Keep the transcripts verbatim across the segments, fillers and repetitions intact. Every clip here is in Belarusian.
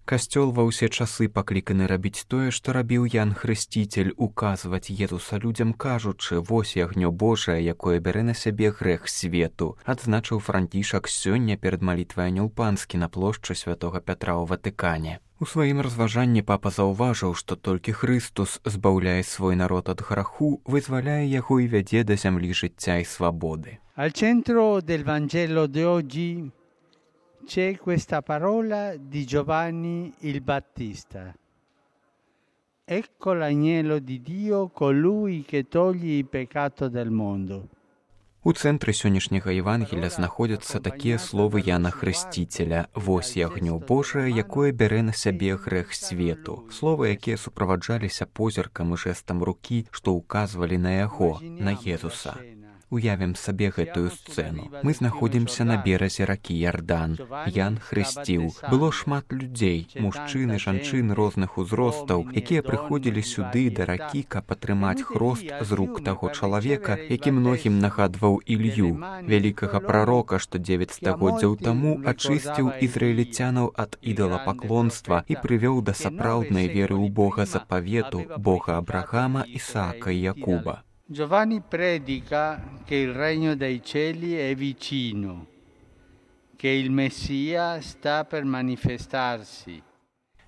Касцёл ва ўсе часы пакліканы рабіць тое, што рабіў Ян Хрысціцель, указваць Езуса людзям, кажучы: «Вось ягнё Божае, якое бярэ на сябе грэх свету», адзначыў Францішак сёння перад малітвай Анёл Панскі на плошчы святога Пятра ў Ватыкане. У сваім разважанні папа заўважыў, што толькі Хрыстус збаўляе свой народ ад граху, вызваляе яго і вядзе да зямлі жыцця і свабоды. Al centro del Vangelo di oggi c'è questa parola di Giovanni il Battista. Ecco l'agnello di Dio, colui che toglie il peccato del mondo. У цэнтры сённяшняга Евангелія знаходзяцца такія словы Яна Хрысціцеля: «Вось ягнё Божае, якое бярэ на сябе грэх свету». Словы, якія суправаджаліся позіркам і жэстам рукі, што ўказвалі на яго, на Езуса. Уявім сабе гэтую сцэну. Мы знаходзімся на беразе ракі Ярдан. Ян хрысціў. Было шмат людзей, мужчын і жанчын розных узростаў, якія прыходзілі сюды да ракі, каб атрымаць хрост з рук таго чалавека, які многім нагадваў Ілью, вялікага прарока, што дзевяць стагоддзяў таму ачысціў ізраіліцянаў ад ідалапаклонства і прывёў да сапраўднай веры ў Бога запавету, Бога Абрахама, Ісаака і Якуба. Giovanni predica che il regno dei cieli è vicino, che il Messia sta per manifestarsi.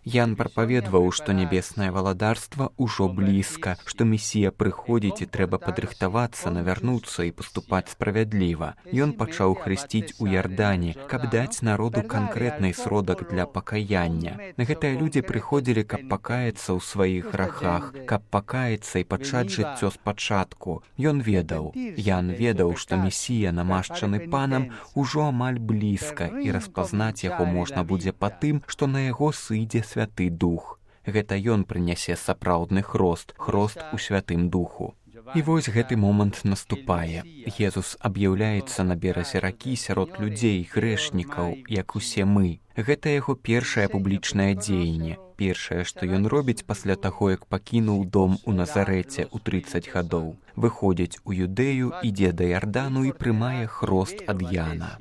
Ян прапаведваў, што нябеснае валадарства ўжо блізка, што Месія прыходзіць і трэба падрыхтавацца, навярнуцца і паступаць справядліва. Ён пачаў хрысціць у Ярдане, каб даць народу канкрэтны сродак для пакаяння. Гэтыя людзі прыходзілі, каб пакаяцца ў сваіх грахах, каб пакаяцца і пачаць жыццё спачатку. Ён ведаў, Ян ведаў, што Месія, намашчаны панам, ужо амаль блізка, і распазнаць яго можна будзе па тым, што на яго сыдзе Святы Дух. Гэта ён прынясе сапраўдны хрост, хрост у Святым Духу. І вось гэты момант наступае. Езус аб'яўляецца на беразе ракі сярод людзей, грэшнікаў, як усе мы. Гэта яго першае публічнае дзеянне. Першае, што ён робіць пасля таго, як пакінуў дом у Назарэце ў трыццаць гадоў. Выходзіць у Юдэю, ідзе да Ярдану і прымае хрост ад Яна.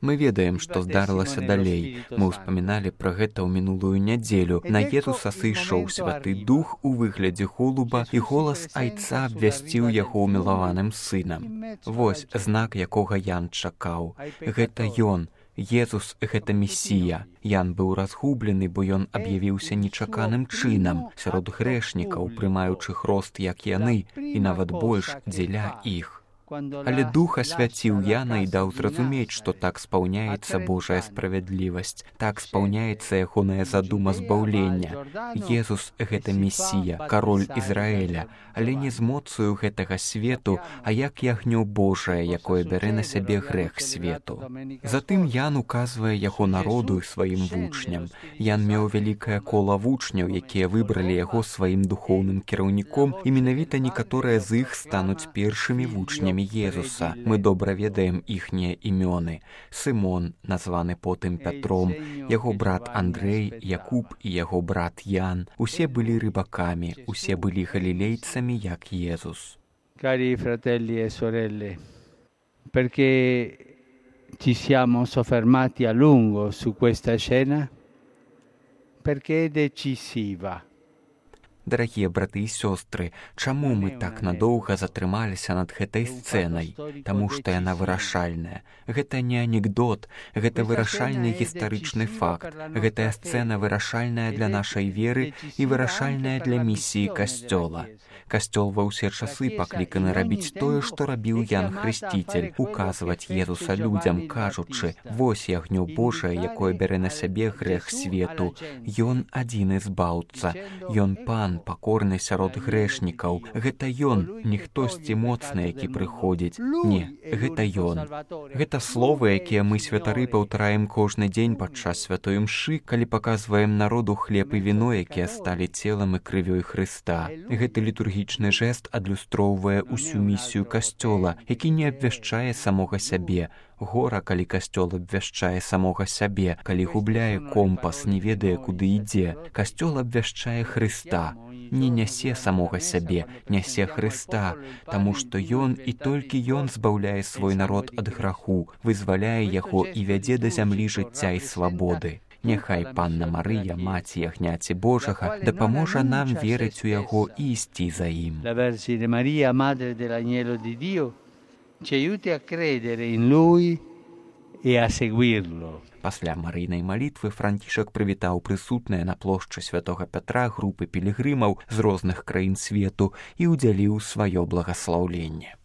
Мы ведаем, што здарылася далей. Мы ўспаміналі пра гэта ў мінулую нядзелю. На Езуса сышоў Святы Дух у выглядзе голуба, і голас айца абвясціў яго ўмілаваным сынам. Вось знак, якога Ян чакаў. Гэта ён. Езус — гэта Месія. Ян быў разгублены, бо ён аб'явіўся нечаканым чынам, сярод грэшнікаў, прымаючы хрост, як яны, і нават больш дзеля іх. Але Дух асвяціў Яна і даў зразумець, што так спаўняецца Божая справядлівасць, так спаўняецца ягоная задума збаўлення. Езус — гэта Месія, кароль Ізраэля, але не з моцаю гэтага свету, а як ягнё Божае, якое бярэ на сябе грэх свету. Затым Ян указвае яго народу і сваім вучням. Ян меў вялікае кола вучняў, якія выбралі яго сваім духоўным кіраўніком, і менавіта некаторыя з іх стануць першымі вучнямі Езуса. Мы добра ведаем іхнія імёны. Сымон, названы потым Пятром, яго брат Андрэй, Якуб і яго брат Ян. Усе былі рыбакамі, усе былі галілейцамі, як Езус. Cari fratelli e sorelle, perché ci siamo soffermati a lungo su questa scena? Perché è decisiva. Дарагія браты і сёстры, чаму мы так надоўга затрымаліся над гэтай сцэнай? Таму што яна вырашальная. Гэта не анекдот, гэта вырашальны гістарычны факт. Гэтая сцэна вырашальная для нашай веры і вырашальная для місіі Касцёла. Касцёл ва ўсе часы пакліканы рабіць тое, што рабіў Ян Хрысціцель, указваць Езуса людзям, кажучы: «Вось ягнё Божае, якое бярэ на сябе грэх свету». Ён адзіны збаўца, ён пан, пакорны сярод грэшнікаў. Гэта ён, не хтосьці моцны, які прыходзіць. Не, гэта ён. Гэта словы, якія мы, святары, паўтараем кожны дзень падчас святой імшы, калі паказваем народу хлеб і віно, якія сталі целам і крывёй Хрыста. Гэты літургічны жэст адлюстроўвае ўсю місію Касцёла, які не абвяшчае самога сябе. Гора, калі Касцёл абвяшчае самога сябе, калі губляе компас, не ведае, куды ідзе. Касцёл абвяшчае Хрыста. Не нясе самога сябе, нясе Хрыста, таму што ён і толькі ён збаўляе свой народ ад граху, вызваляе яго і вядзе да зямлі жыцця і свабоды. Няхай Панна Марыя, маці ягняці Божага, дапаможа нам верыць у яго і ісці за ім. La Vergine Maria, Madre dell'Agnello di Dio, ci aiuti a credere in Lui e a seguirlo. Пасля марыйнай малітвы Францішак прывітаў прысутныя на плошчы святога Пятра групы пілігрымаў з розных краін свету і ўдзяліў сваё благаслаўленне.